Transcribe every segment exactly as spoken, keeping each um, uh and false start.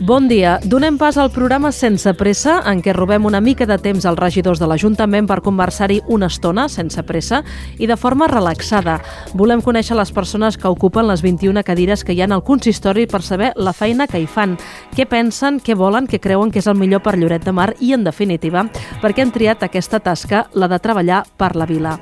Bon dia. Donem pas al programa Sense Pressa, en què robem una mica de temps als regidors de l'Ajuntament per conversar-hi una estona, sense pressa, i de forma relaxada. Volem conèixer les persones que ocupen les vint-i-una cadires que hi ha al consistori per saber la feina que hi fan, què pensen, què volen, què creuen que és el millor per Lloret de Mar i, en definitiva, per què han triat aquesta tasca, la de treballar per la vila.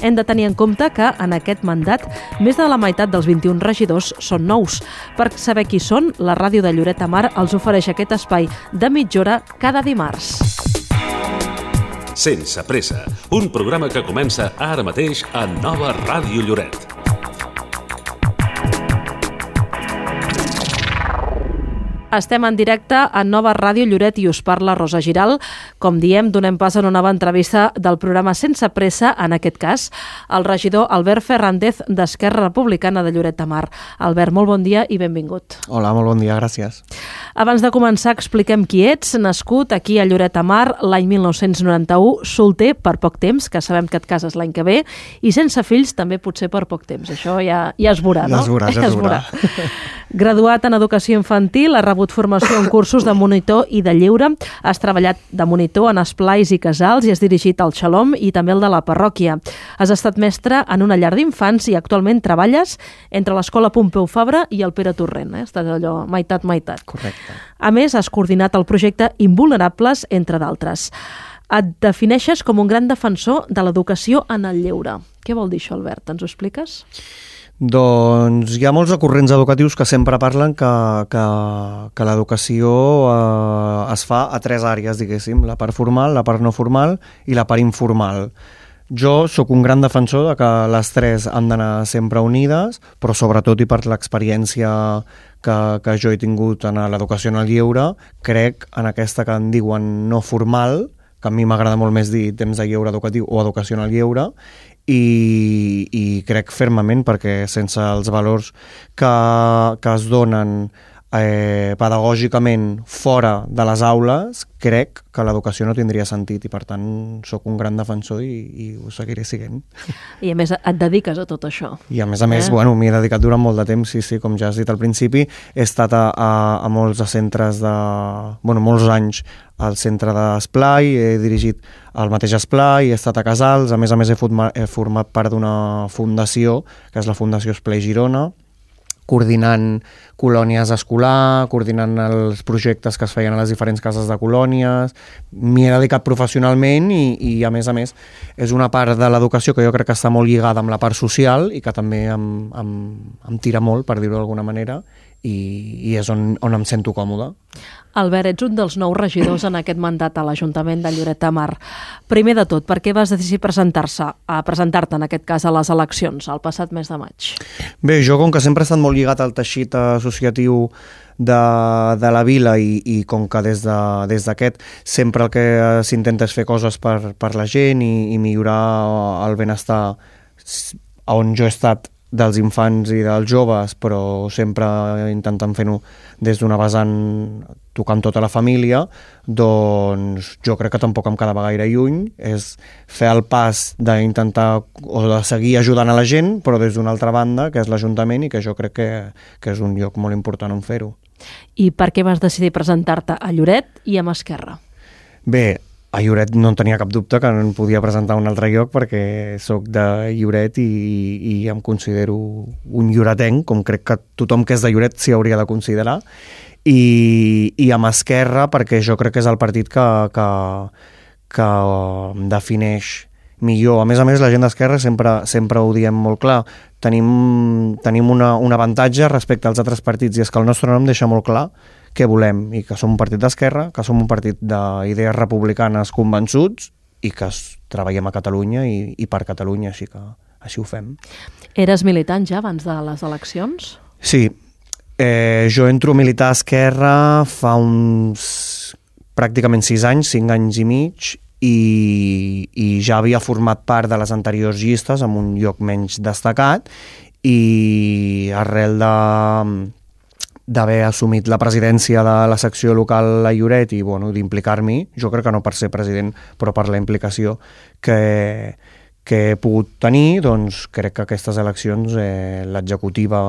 Hem de tenir en compte que, en aquest mandat, més de la meitat dels vint-i-un regidors són nous. Per saber qui són, la ràdio de Lloret de Mar els ofereix aquest espai de mitja hora cada dimarts. Sense Pressa, un programa que comença ara mateix a Nova Ràdio Lloret. Estem en directe a Nova Ràdio Lloret i us parla Rosa Giral. Com diem, donem pas a una nova entrevista del programa Sense Pressa, en aquest cas, el regidor Albert Ferràndez d'Esquerra Republicana de Lloret de Mar. Albert, molt bon dia i benvingut. Hola, molt bon dia, gràcies. Abans de començar, expliquem qui ets. Nascut aquí a Lloret de Mar l'any mil nou-cents noranta-u, solter per poc temps, que sabem que et cases l'any que ve, i sense fills també potser per poc temps. Això ja, ja es veurà, no? Ja es veurà, ja es veurà. Graduat en Educació Infantil, ha rebut formació en cursos de monitor i de lleure, has treballat de monitor en esplais i casals i has dirigit el Xalom i també el de la parròquia. Has estat mestre en una llar d'infants i actualment treballes entre l'Escola Pompeu Fabra i el Pere Torrent. Eh? Estàs allò meitat-meitat. Correcte. A més, has coordinat el projecte Invulnerables, entre d'altres. Et defineixes com un gran defensor de l'educació en el lleure. Què vol dir això, Albert? Ens ho expliques? Doncs hi ha molts recurrents educatius que sempre parlen que, que, que l'educació eh, es fa a tres àrees, diguéssim, la part formal, la part no formal i la part informal. Jo sóc un gran defensor de que les tres han d'anar sempre unides, però sobretot i per l'experiència que, que jo he tingut en l'educació en el lleure, crec en aquesta que en diuen no formal, que a mi m'agrada molt més dir temps de lleure educatiu o educació en el lleure, i, i crec fermament perquè sense els valors que, que es donen eh, pedagògicament fora de les aules, crec que l'educació no tindria sentit i per tant sóc un gran defensor i, i ho seguiré sent. I a més et dediques a tot això. I a més a més, eh? bueno, m'hi he dedicat durant molt de temps, sí, sí, com ja has dit al principi, he estat a, a, a molts centres de... bueno, molts anys al centre d'esplai, he dirigit el mateix esplai, he estat a casals, a més a més he format, he format part d'una fundació, que és la Fundació Esplai Girona, coordinant colònies escolar, coordinant els projectes que es feien a les diferents cases de colònies. M'hi he dedicat professionalment i, i a més a més és una part de l'educació que jo crec que està molt lligada amb la part social i que també em, em, em tira molt, per dir-ho d'alguna manera, i, i és on, on em sento còmode. Albert, ets un dels nous regidors en aquest mandat a l'Ajuntament de Lloret de Mar. Primer de tot, per què vas decidir presentar-se, a presentar-te en aquest cas a les eleccions, el passat mes de maig? Bé, jo com que sempre he estat molt lligat al teixit associatiu de, de la vila i, i com que des de, des d'aquest sempre el que s'intenta és fer coses per, per la gent i, i millorar el benestar on jo he estat dels infants i dels joves, però sempre intentant fer-ho des d'una vessant tocant tota la família, doncs jo crec que tampoc em quedava gaire lluny, és fer el pas d'intentar o de seguir ajudant a la gent, però des d'una altra banda, que és l'Ajuntament, i que jo crec que, que és un lloc molt important on fer-ho. I per què vas decidir presentar-te a Lloret i amb Esquerra? Bé, a Lloret no en tenia cap dubte que no em podia presentar a un altre lloc perquè sóc de Lloret i, i em considero un lloretenc, com crec que tothom que és de Lloret s'hi hauria de considerar, i, i amb Esquerra perquè jo crec que és el partit que, que, que em defineix millor. A més a més, la gent d'Esquerra sempre, sempre ho diem molt clar. Tenim, tenim una, un avantatge respecte als altres partits i és que el nostre nom deixa molt clar què volem, i que som un partit d'esquerra, que som un partit d'idees republicanes convençuts i que treballem a Catalunya i, i per Catalunya, així que així ho fem. Eres militant ja abans de les eleccions? Sí, eh, jo entro a militar a Esquerra fa uns pràcticament sis anys, cinc anys i mig, i, i ja havia format part de les anteriors llistes amb un lloc menys destacat i arrel de d'haver assumit la presidència de la secció local a Lloret i bueno, d'implicar-m'hi, jo crec que no per ser president, però per la implicació que, que he pogut tenir, doncs crec que aquestes eleccions eh, l'executiva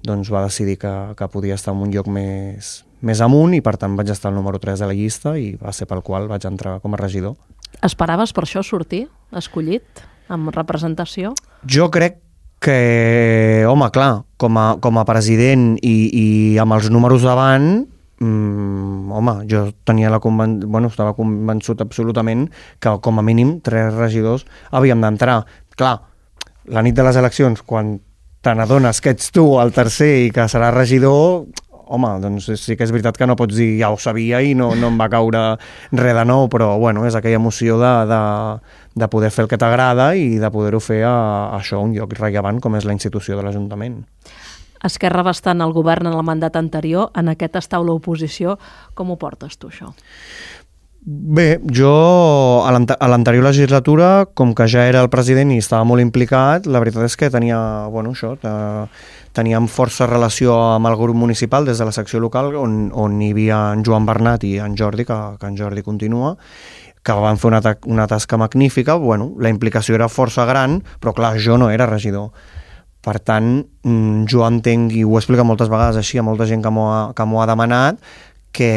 doncs, va decidir que, que podia estar en un lloc més, més amunt i per tant vaig estar al número tres de la llista i va ser pel qual vaig entrar com a regidor. Esperaves per això sortir escollit amb representació? Jo crec que, home, clar, com a, com a president i, i amb els números davant, mm, home, jo tenia la conven... bueno, estava convençut absolutament que com a mínim tres regidors havíem d'entrar. Clar, la nit de les eleccions, quan te n'adones que ets tu el tercer i que serà regidor, home, doncs sí que és veritat que no pots dir ja ho sabia i no, no em va caure res de nou, però bueno, és aquella emoció de, de, de poder fer el que t'agrada i de poder-ho fer a, a això, un lloc rellevant com és la institució de l'Ajuntament. Esquerra va estar en el govern en el mandat anterior, en aquest estàu l'oposició. Com ho portes tu, això? Bé, jo a l'anterior legislatura, com que ja era el president i estava molt implicat, la veritat és que tenia, bueno, això, teníem força relació amb el grup municipal des de la secció local on, on hi havia en Joan Bernat i en Jordi, que, que en Jordi continua, que van fer una, una tasca magnífica. Bueno, la implicació era força gran, però clar, jo no era regidor. Per tant, jo entenc, i ho he explicat moltes vegades així a molta gent que m'ho ha, que m'ho ha demanat, que,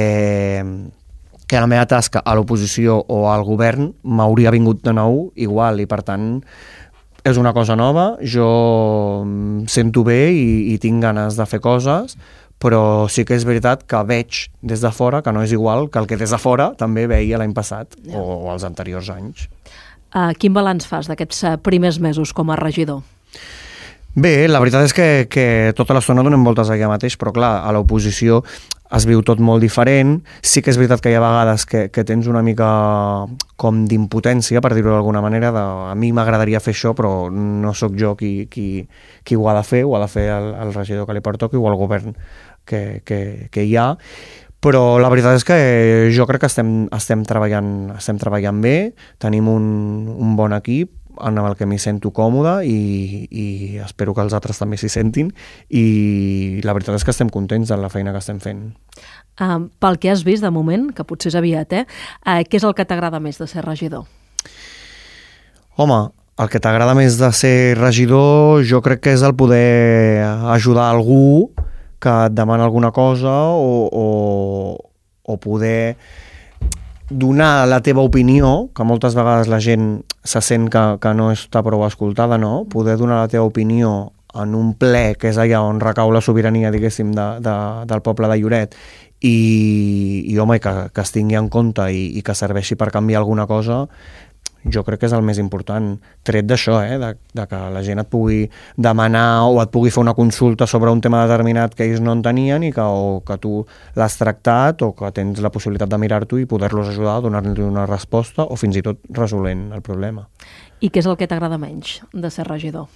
que la meva tasca a l'oposició o al govern m'hauria vingut de nou igual, i per tant és una cosa nova, jo em sento bé i, i tinc ganes de fer coses, però sí que és veritat que veig des de fora que no és igual que el que des de fora també veia l'any passat ja. o, o els anteriors anys. Uh, quin balanç fas d'aquests primers mesos com a regidor? Bé, la veritat és que, que tota l'estona donem voltes allà mateix, però clar, a l'oposició es viu tot molt diferent. Sí que és veritat que hi ha vegades que, que tens una mica com d'impotència, per dir-ho d'alguna manera, de, a mi m'agradaria fer això, però no sóc jo qui, qui, qui ho ha de fer, ho ha de fer el, el regidor que li pertoqui o el govern que, que, que hi ha. Però la veritat és que jo crec que estem, estem, treballant, estem treballant bé, tenim un, un bon equip, en el que m'hi sento còmode i, i espero que els altres també s'hi sentin, i la veritat és que estem contents de la feina que estem fent. Uh, pel que has vist de moment, que potser és aviat, eh? Uh, què és el que t'agrada més de ser regidor? Home, el que t'agrada més de ser regidor jo crec que és el poder ajudar algú que et demana alguna cosa o, o, o poder donar la teva opinió, que moltes vegades la gent se sent que, que no està prou escoltada, no? Poder donar la teva opinió en un ple, que és allà on recau la sobirania, diguéssim, de, de, del poble de Lloret, i, i home, que, que es tingui en compte i, i que serveixi per canviar alguna cosa, jo crec que és el més important, tret d'això, eh? de, de que la gent et pugui demanar o et pugui fer una consulta sobre un tema determinat que ells no en tenien i que, o que tu l'has tractat o que tens la possibilitat de mirar-t'ho i poder-los ajudar a donar-li una resposta o fins i tot resolent el problema. I què és el que t'agrada menys de ser regidor?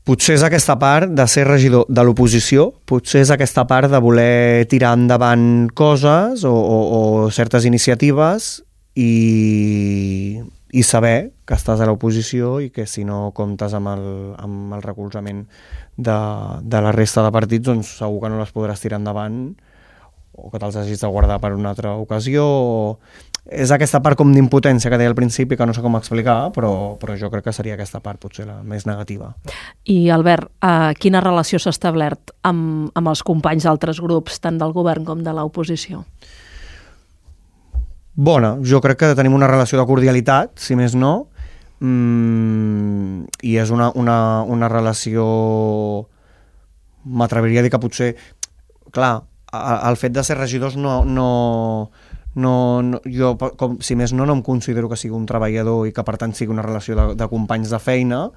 Potser és aquesta part de ser regidor de l'oposició, potser és aquesta part de voler tirar endavant coses o, o, o certes iniciatives i, i saber que estàs a l'oposició i que si no comptes amb el, amb el recolzament de, de la resta de partits, doncs segur que no les podràs tirar endavant o que te'ls hagis de guardar per una altra ocasió. És aquesta part com d'impotència que deia al principi, que no sé com explicar, però, però jo crec que seria aquesta part potser la més negativa. I Albert, eh, quina relació s'ha establert amb, amb els companys d'altres grups, tant del govern com de l'oposició? Bona, jo crec que tenim una relació de cordialitat, si més no, mm, i és una, una, una relació, m'atreviria a dir que potser, clar, el fet de ser regidors no, no, no, no jo, com, si més no, no em considero que sigui un treballador i que per tant sigui una relació de, de companys de feina,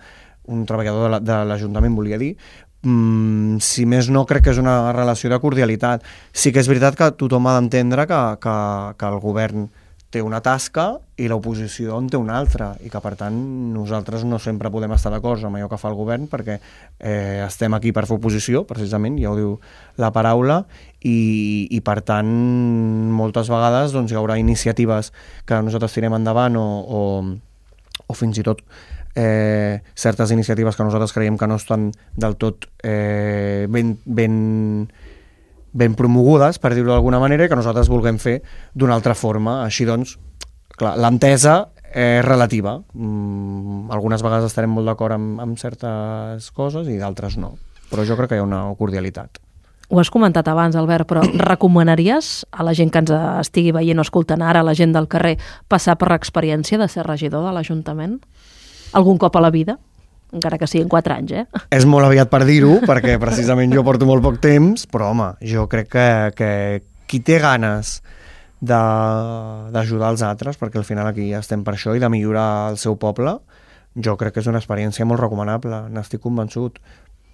un treballador de, la, de l'Ajuntament, volia dir. Mm, si més no, crec que és una relació de cordialitat. Sí que és veritat que tothom ha d'entendre que, que, que el govern té una tasca i l'oposició en té una altra, i que per tant nosaltres no sempre podem estar d'acord amb allò que fa el govern, perquè eh, estem aquí per fer oposició, precisament, ja ho diu la paraula, i, i per tant moltes vegades doncs, hi haurà iniciatives que nosaltres tirem endavant o, o, o fins i tot Eh, certes iniciatives que nosaltres creiem que no estan del tot eh, ben, ben, ben promogudes, per dir-ho d'alguna manera, i que nosaltres vulguem fer d'una altra forma. Així doncs, clar, l'entesa és relativa. Mm, algunes vegades estarem molt d'acord amb, amb certes coses i d'altres no. Però jo crec que hi ha una cordialitat. Ho has comentat abans, Albert, però recomanaries a la gent que ens estigui veient o escoltant ara, a la gent del carrer, passar per l'experiència de ser regidor de l'Ajuntament? Algun cop a la vida? Encara que siguin quatre anys, eh? És molt aviat per dir-ho, perquè precisament jo porto molt poc temps, però home, jo crec que, que qui té ganes d'ajudar els altres, perquè al final aquí estem per això, i de millorar el seu poble, jo crec que és una experiència molt recomanable, n'estic convençut.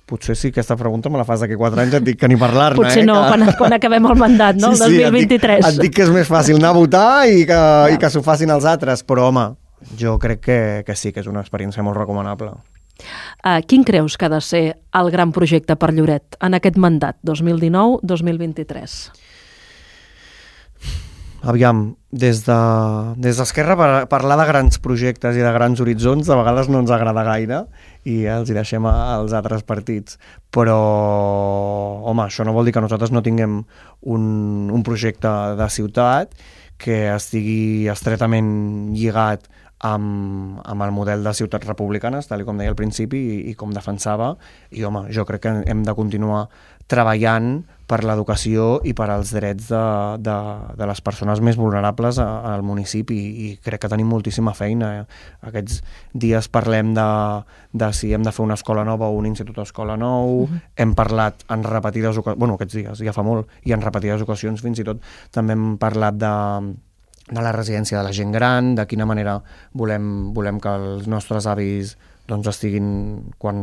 Potser sí, aquesta pregunta me la fas d'aquí quatre anys, et dic que ni parlar-ne. Potser eh, no, que... quan, quan acabem el mandat, no? Sí, El sí, dos mil vint-i-tres. Et dic, et dic que és més fàcil anar a votar i que, ja. i que s'ho facin els altres, però home, jo crec que, que sí, que és una experiència molt recomanable. Uh, quin creus que ha de ser el gran projecte per Lloret en aquest mandat dos mil dinou dos mil vint-i-tres? Aviam, des de, des d'Esquerra parlar de grans projectes i de grans horitzons de vegades no ens agrada gaire i els hi deixem als altres partits, però home, això no vol dir que nosaltres no tinguem un, un projecte de ciutat que estigui estretament lligat amb, amb el model de ciutats republicanes, tal com deia al principi i, i com defensava, i home, jo crec que hem de continuar treballant per l'educació i per als drets de, de, de les persones més vulnerables a, al municipi, i crec que tenim moltíssima feina. Aquests dies parlem de, de si hem de fer una escola nova o un institut d'escola nou, uh-huh. hem parlat en repetides ocasions, bueno, aquests dies, ja fa molt, i en repetides ocasions fins i tot també hem parlat de de la residència de la gent gran, de quina manera volem, volem que els nostres avis doncs estiguin, quan,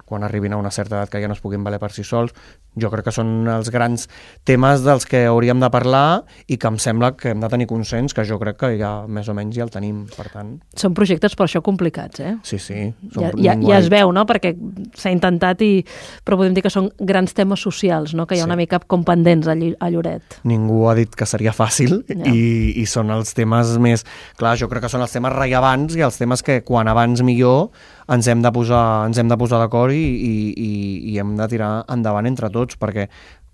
quan arribin a una certa edat, que ja no es puguin valer per si sols. Jo crec que són els grans temes dels que hauríem de parlar i que em sembla que hem de tenir consens, que jo crec que ja més o menys ja el tenim, per tant. Són projectes per això complicats, eh? Sí, sí. Ja, ja, ja es veu, no?, perquè s'ha intentat, i però podem dir que són grans temes socials, no?, que hi ha sí. una mica com pendents a, a Lloret. Ningú ha dit que seria fàcil ja. i, i són els temes més... Clar, jo crec que són els temes rellevants i els temes que quan abans millor ens hem de posar, ens hem de posar d'acord i, i, i, i hem de tirar endavant entre tots, perquè,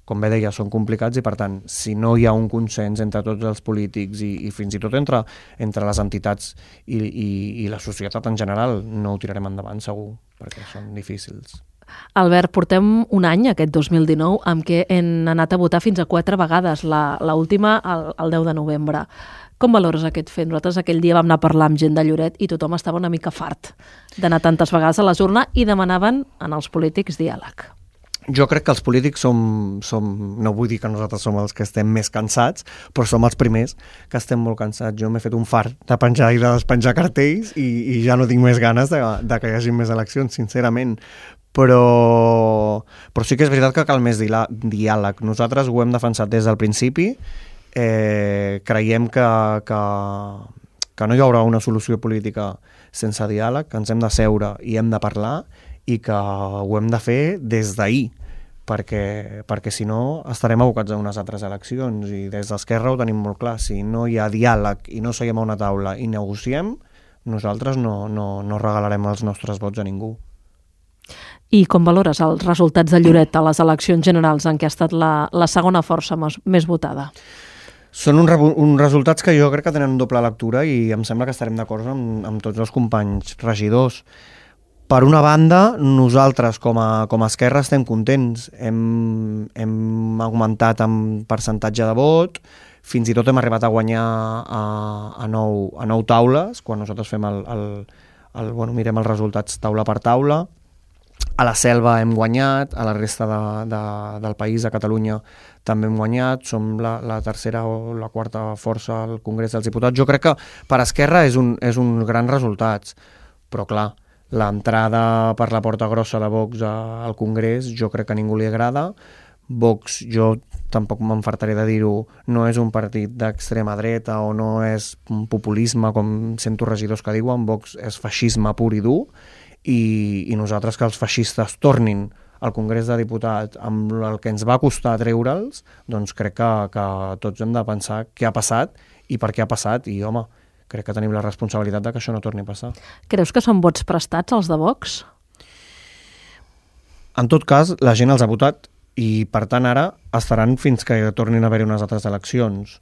com bé deia, són complicats i, per tant, si no hi ha un consens entre tots els polítics i, i fins i tot entre, entre les entitats i, i, i la societat en general, no ho tirarem endavant, segur, perquè són difícils. Albert, portem un any, aquest dos mil dinou, amb què hem anat a votar fins a quatre vegades, la, la última el, el deu de novembre. Com valores aquest fet? Nosaltres aquell dia vam anar a parlar amb gent de Lloret i tothom estava una mica fart d'anar tantes vegades a les urnes i demanaven en els polítics diàleg. Jo crec que els polítics som, som, no vull dir que nosaltres som els que estem més cansats, però som els primers que estem molt cansats. Jo m'he fet un fart de penjar i de despenjar cartells i, i ja no tinc més ganes de, de que hi hagi més eleccions, sincerament. Però, però sí que és veritat que cal més diàleg. Nosaltres ho hem defensat des del principi. Eh, creiem que, que, que no hi haurà una solució política sense diàleg, que ens hem de seure i hem de parlar i que ho hem de fer des d'ahir, perquè, perquè si no estarem abocats a unes altres eleccions, i des d'Esquerra ho tenim molt clar. Si no hi ha diàleg i no seiem a una taula i negociem, nosaltres no, no, no regalarem els nostres vots a ningú. I com valores els resultats de Lloret a les eleccions generals en què ha estat la, la segona força més votada? Són uns un resultats que jo crec que tenen doble lectura i em sembla que estarem d'acord amb, amb tots els companys regidors. Per una banda, nosaltres com a, com a Esquerra estem contents. Hem, hem augmentat en percentatge de vot, fins i tot hem arribat a guanyar a, a, nou, a nou taules, quan nosaltres fem el, el, el, bueno, mirem els resultats taula per taula. A la Selva hem guanyat, a la resta de, de, del país, a Catalunya, també hem guanyat, som la, la tercera o la quarta força al Congrés dels Diputats. Jo crec que per Esquerra és un, és un gran resultat, però clar, l'entrada per la porta grossa de Vox al Congrés jo crec que a ningú li agrada. Vox, jo tampoc m'enfartaré de dir-ho, no és un partit d'extrema dreta o no és un populisme, com sento regidors que diuen. Vox és feixisme pur i dur, i, i nosaltres que els feixistes tornin al Congrés de Diputats amb el que ens va costar treure'ls, doncs crec que, que tots hem de pensar què ha passat i per què ha passat, i home, crec que tenim la responsabilitat de que això no torni a passar. Creus que són vots prestats els de Vox? En tot cas, la gent els ha votat i per tant ara estaran fins que tornin a haver-hi unes altres eleccions.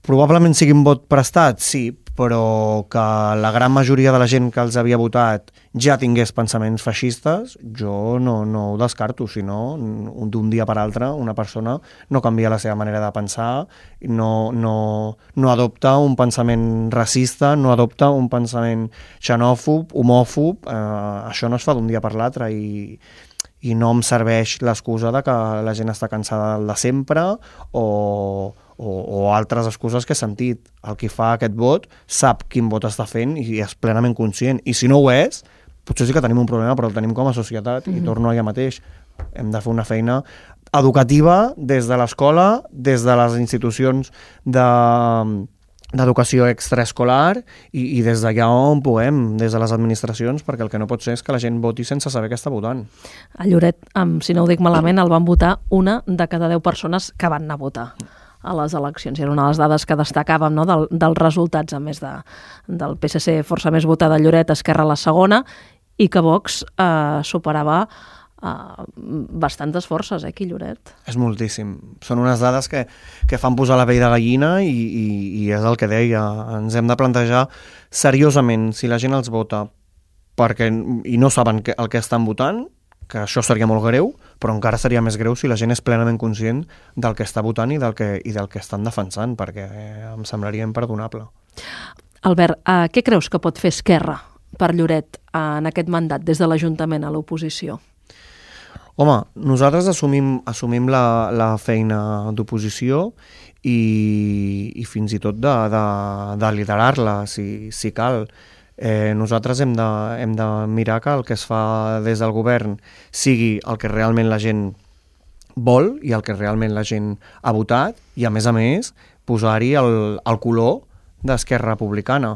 probablement sigui un vot prestat, sí, però que la gran majoria de la gent que els havia votat ja tingués pensaments feixistes, jo no, no ho descarto, sinó d'un dia per altre una persona no canvia la seva manera de pensar, no, no, no adopta un pensament racista, no adopta un pensament xenòfob, homòfob, eh, això no es fa d'un dia per l'altre i, i no em serveix l'excusa de que la gent està cansada del de sempre o... O, o altres excuses que he sentit. El qui fa aquest vot sap quin vot està fent i és plenament conscient. I si no ho és, potser sí que tenim un problema, però el tenim com a societat mm-hmm. i torno allà mateix. Hem de fer una feina educativa des de l'escola, des de les institucions de, d'educació extraescolar i, i des d'allà on puguem, des de les administracions, perquè el que no pot ser és que la gent voti sense saber què està votant. A Lloret, si no ho dic malament, el van votar una de cada deu persones que van anar a votar a les eleccions. I era una de les dades que destacàvem, no?, del, dels resultats, a més de, del P S C força més votada a Lloret, Esquerra la segona, i que Vox eh, superava eh, bastantes forces, eh, aquí a Lloret. És moltíssim. Són unes dades que, que fan posar la pell de gallina i, i, i és el que deia. Ens hem de plantejar seriosament si la gent els vota perquè, i no saben que, el que estan votant, que això seria molt greu, però encara seria més greu si la gent és plenament conscient del que està votant i del que, i del que estan defensant, perquè em semblaria imperdonable. Albert, eh, què creus que pot fer Esquerra per Lloret en aquest mandat des de l'Ajuntament a l'oposició? Home, nosaltres assumim, assumim la, la feina d'oposició i, i fins i tot de, de, de liderar-la, si, si cal. Eh, nosaltres hem de, hem de mirar que el que es fa des del govern sigui el que realment la gent vol i el que realment la gent ha votat i, a més a més, posar-hi el, el color d'Esquerra Republicana.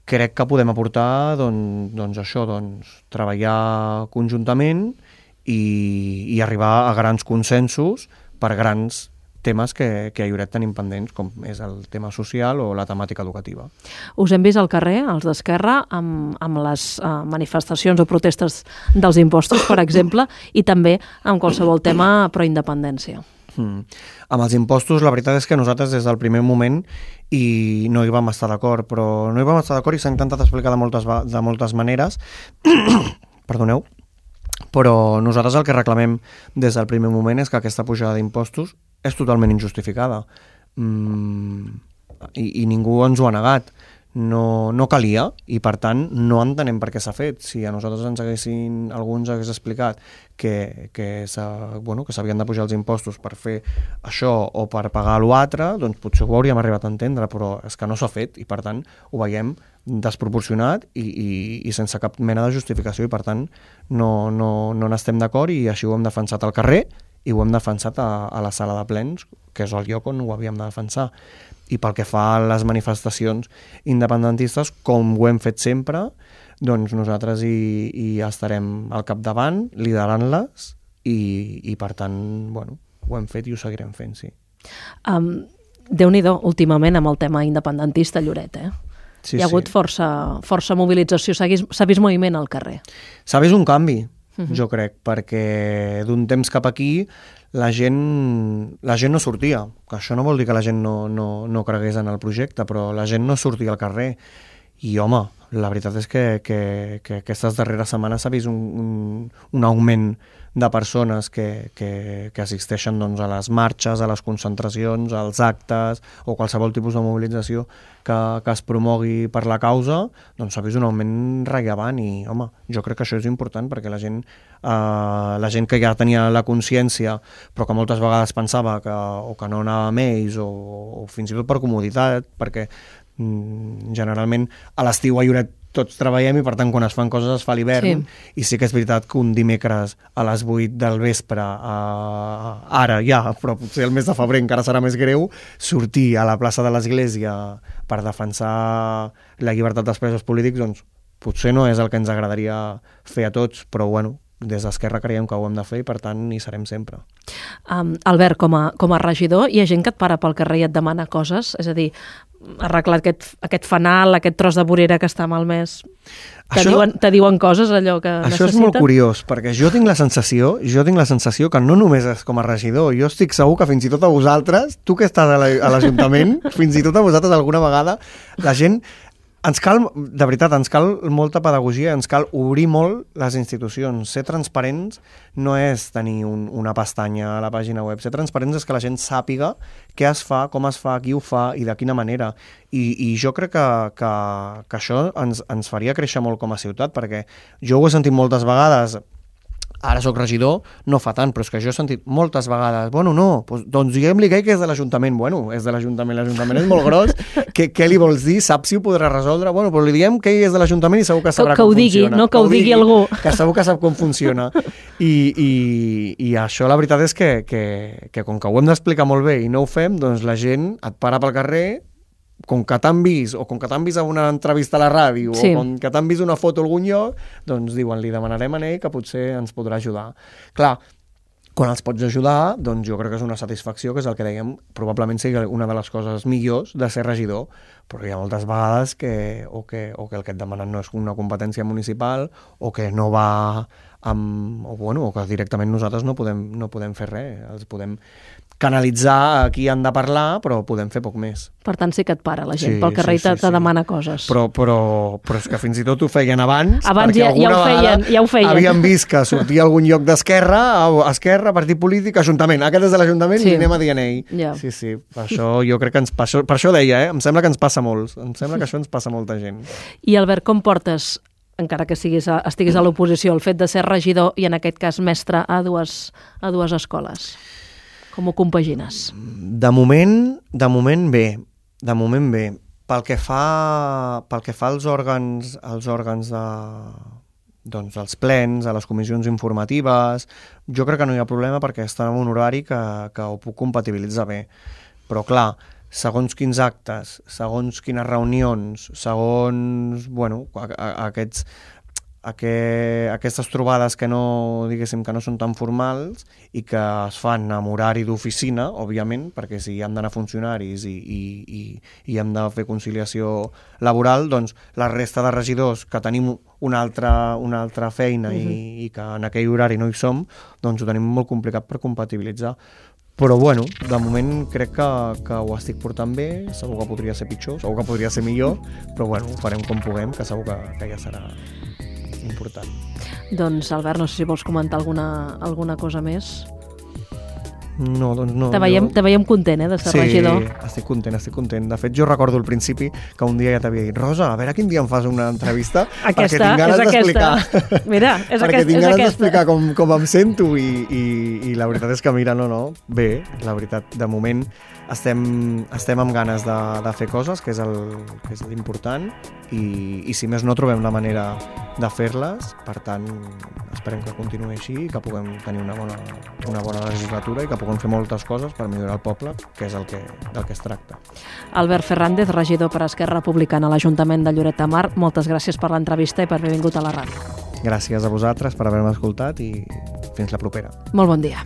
Crec que podem aportar doncs, doncs això, doncs, treballar conjuntament i, i arribar a grans consensos per grans temes que, que a Lloret tenim pendents, com és el tema social o la temàtica educativa. Us hem vist al carrer, els d'Esquerra, amb, amb les uh, manifestacions o protestes dels impostos, per exemple, i també amb qualsevol tema pro-independència. Mm. Amb els impostos, la veritat és que nosaltres des del primer moment i no hi vam estar d'acord, però no hi vam estar d'acord i s'ha intentat explicar de moltes, de moltes maneres, perdoneu, però nosaltres el que reclamem des del primer moment és que aquesta pujada d'impostos és totalment injustificada mm, i, i ningú ens ho ha negat. No, no calia i per tant no entenem per què s'ha fet. Si a nosaltres ens haguessin, algú ens hagués explicat que, que, bueno, que s'havien de pujar els impostos per fer això o per pagar l'altre, doncs potser ho hauríem arribat a entendre, però és que no s'ha fet i per tant ho veiem desproporcionat i, i, i sense cap mena de justificació i per tant no, no, no n'estem d'acord i així ho hem defensat al carrer i ho hem defensat a, a la sala de plens, que és el lloc on ho havíem de defensar. I pel que fa a les manifestacions independentistes, com ho hem fet sempre, doncs nosaltres hi, hi estarem al capdavant, liderant-les, i, i per tant, bueno, ho hem fet i ho seguirem fent, sí. Um, Déu-n'hi-do, últimament, amb el tema independentista a Lloret, eh? Sí, Hi ha hagut sí. força, força mobilització, s'ha vist, s'ha vist moviment al carrer. S'ha vist un canvi, uh-huh. jo crec, perquè d'un temps cap aquí la gent, la gent no sortia, que això no vol dir que la gent no, no, no cregués en el projecte, però la gent no sortia al carrer. I, home, la veritat és que, que, que aquestes darreres setmanes s'ha vist un, un, un augment de persones que, que, que assisteixen doncs, a les marxes, a les concentracions, als actes o qualsevol tipus de mobilització que, que es promogui per la causa, doncs s'ha vist un augment rellevant i, home, jo crec que això és important perquè la gent, eh, la gent que ja tenia la consciència però que moltes vegades pensava que, o que no anava amb ells o, o fins i tot per comoditat, perquè mm, generalment a l'estiu a Lloret tots treballem i per tant quan es fan coses es fa a l'hivern sí. I sí que és veritat que un dimecres a les vuit del vespre eh, ara ja, però potser el mes de febrer encara serà més greu, sortir a la plaça de l'Església per defensar la llibertat dels presos polítics, doncs potser no és el que ens agradaria fer a tots, però bueno, des d'Esquerra creiem que ho hem de fer i per tant hi serem sempre. Um, Albert, com a, com a regidor, hi ha gent que et para pel carrer i et demana coses? És a dir, arreglar aquest, aquest fanal, aquest tros de vorera que està malmès, te, això, diuen, te diuen coses allò que això necessiten? Això és molt curiós, perquè jo tinc la sensació, jo tinc la sensació que no només és com a regidor, jo estic segur que fins i tot a vosaltres, tu que estàs a l'Ajuntament, fins i tot a vosaltres alguna vegada, la gent... Ens cal, de veritat, ens cal molta pedagogia, ens cal obrir molt les institucions. Ser transparents no és tenir un, una pestanya a la pàgina web. Ser transparents és que la gent sàpiga què es fa, com es fa, qui ho fa i de quina manera. I, i jo crec que, que, que això ens, ens faria créixer molt com a ciutat, perquè jo ho he sentit moltes vegades. Ara soc regidor, no fa tant, però és que jo he sentit moltes vegades, bueno, no, doncs, doncs diguem-li que és de l'Ajuntament. Bueno, és de l'Ajuntament, l'Ajuntament és molt gros, què, què li vols dir? Saps si ho podrà resoldre? Bueno, però li diem que ell és de l'Ajuntament i segur que sabrà que, que com ho digui, funciona. No, que, que ho digui, digui algú. Que segur que sap com funciona. I, i, i això la veritat és que, que, que com que ho hem d'explicar molt bé i no ho fem, doncs la gent et para pel carrer, com que t'han vist, o com que t'han vist a una entrevista a la ràdio, sí. o com que t'han vist una foto a algun lloc, doncs diuen, li demanarem a ell que potser ens podrà ajudar. Clar, quan els pots ajudar, doncs jo crec que és una satisfacció, que és el que dèiem, probablement sigui una de les coses millors de ser regidor, però hi ha moltes vegades que o que, o que el que et demanen no és una competència municipal, o que no va amb... o, bueno, o que directament nosaltres no podem, no podem fer res, els podem canalitzar a qui han de parlar, però podem fer poc més. Per tant, sí que et para la gent, sí, pel carrer sí, sí, te, te sí. demana coses. Però, però, però és que fins i tot ho feien abans, abans perquè ja, ja, ho feien, ja ho feien. Havien vist que sortia algun lloc d'Esquerra, Esquerra, partit polític, Ajuntament, aquest és de l'Ajuntament sí. i anem a dir a ell. Ja. Sí, sí, per això jo crec que ens passa, per això deia, eh? Em sembla que ens passa molts, em sembla que això ens passa a molta gent. I Albert, com portes, encara que siguis a, estiguis a l'oposició, el fet de ser regidor i en aquest cas mestre a dues, a dues escoles? Com ho compagines? De moment, de moment bé, de moment bé. Pel que fa, pel que fa als òrgans, als òrgans de, doncs, dels plens, a les comissions informatives, jo crec que no hi ha problema perquè està en un horari que, que ho puc compatibilitzar bé. Però clar, segons quins actes, segons quines reunions, segons, bueno, a, a, aquests... Que aquestes trobades que no, diguéssim, que no són tan formals i que es fan amb horari d'oficina, òbviament, perquè si hem d'anar funcionaris i, i, i, i hem de fer conciliació laboral, doncs la resta de regidors que tenim una altra, una altra feina uh-huh. i, i que en aquell horari no hi som, doncs ho tenim molt complicat per compatibilitzar. Però bueno, de moment crec que, que ho estic portant bé, segur que podria ser pitjor, segur que podria ser millor, però bueno, ho farem com puguem, que segur que, que ja serà important. Doncs Albert, no sé si vols comentar alguna, alguna cosa més. No, doncs no. Te veiem, jo... te veiem content, eh, de ser sí, regidor. Sí, estic content, estic content. De fet, jo recordo al principi que un dia ja t'havia dit, Rosa, a veure quin dia em fas una entrevista aquesta, perquè tinc ganes d'explicar. Mira, és perquè aquest, tinc és ganes aquesta. d'explicar com, com em sento i, i, i la veritat és que, mira, no, no, bé, la veritat, de moment estem, estem amb ganes de, de fer coses, que és el, que és l'important, i, i si més no trobem la manera de fer-les, per tant, esperem que continuï així i que puguem tenir una bona, una bona legislatura i que puguem fer moltes coses per millorar el poble, que és el que, del que es tracta. Albert Fernández, regidor per Esquerra Republicana a l'Ajuntament de Lloret de Mar, moltes gràcies per l'entrevista i per haver vingut a la ràdio. Gràcies a vosaltres per haver-me escoltat i fins la propera. Molt bon dia.